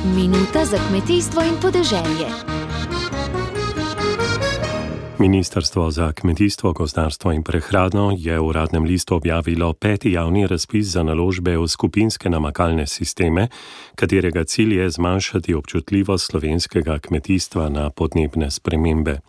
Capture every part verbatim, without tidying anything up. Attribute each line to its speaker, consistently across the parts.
Speaker 1: Minuta za kmetijstvo in podeželje.
Speaker 2: Ministrstvo za kmetijstvo, gozdarstvo in prehrano je v Uradnem listu objavilo peti javni razpis za naložbe v skupinske namakalne sisteme, katerega cilj je zmanjšati občutljivost slovenskega kmetijstva na podnebne spremembe.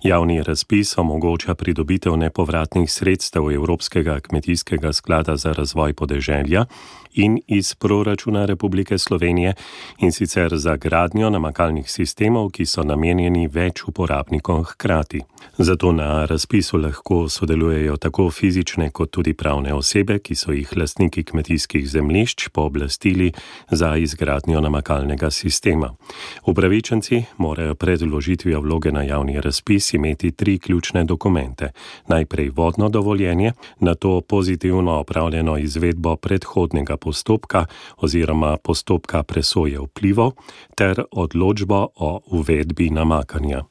Speaker 2: Javni razpis omogoča pridobitev nepovratnih sredstev Evropskega kmetijskega sklada za razvoj podeželja in iz proračuna Republike Slovenije, in sicer za gradnjo namakalnih sistemov, ki so namenjeni več uporabnikom hkrati. Zato na razpisu lahko sodelujejo tako fizične kot tudi pravne osebe, ki so jih lastniki kmetijskih zemljišč pooblastili za izgradnjo namakalnega sistema. Upravičenci morajo pred vložitvijo vloge na javni razpis imeti tri ključne dokumente. Najprej vodno dovoljenje, nato pozitivno opravljeno izvedbo predhodnega postopka oziroma postopka presoje vplivov ter odločbo o uvedbi namakanja.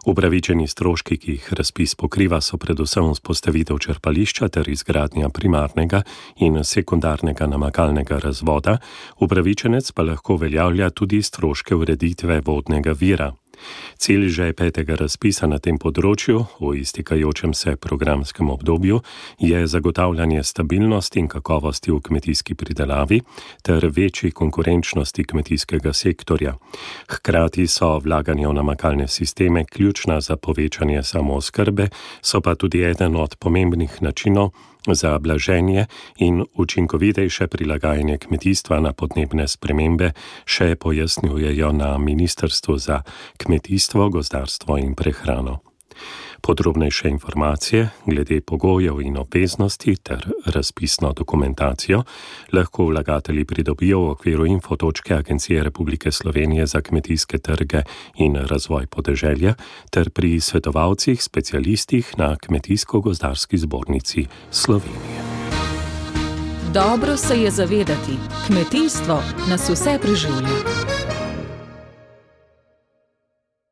Speaker 2: Upravičeni stroški, ki jih razpis pokriva, so predvsem vzpostavitev črpališča ter izgradnja primarnega in sekundarnega namakalnega razvoda, upravičenec pa lahko uveljavlja tudi stroške ureditve vodnega vira. Cilj že petega razpisa na tem področju v iztekajočem se programskem obdobju je zagotavljanje stabilnosti in kakovosti v kmetijski pridelavi ter večji konkurenčnosti kmetijskega sektorja. Hkrati so vlaganja v namakalne sisteme ključna za povečanje samooskrbe, so pa tudi eden od pomembnih načinov za blaženje in učinkovitejše prilagajanje kmetijstva na podnebne spremembe, še pojasnjujejo na Ministrstvu za kmetijstvo, gozdarstvo in prehrano. Podrobnejše informacije glede pogojev in obveznosti ter razpisno dokumentacijo lahko vlagatelji pridobijo v okviru info točke Agencije Republike Slovenije za kmetijske trge in razvoj podeželja ter pri svetovalcih, specialistih na Kmetijsko-gozdarski zbornici Slovenije.
Speaker 3: Dobro se je zavedati, kmetijstvo nas vse preživlja.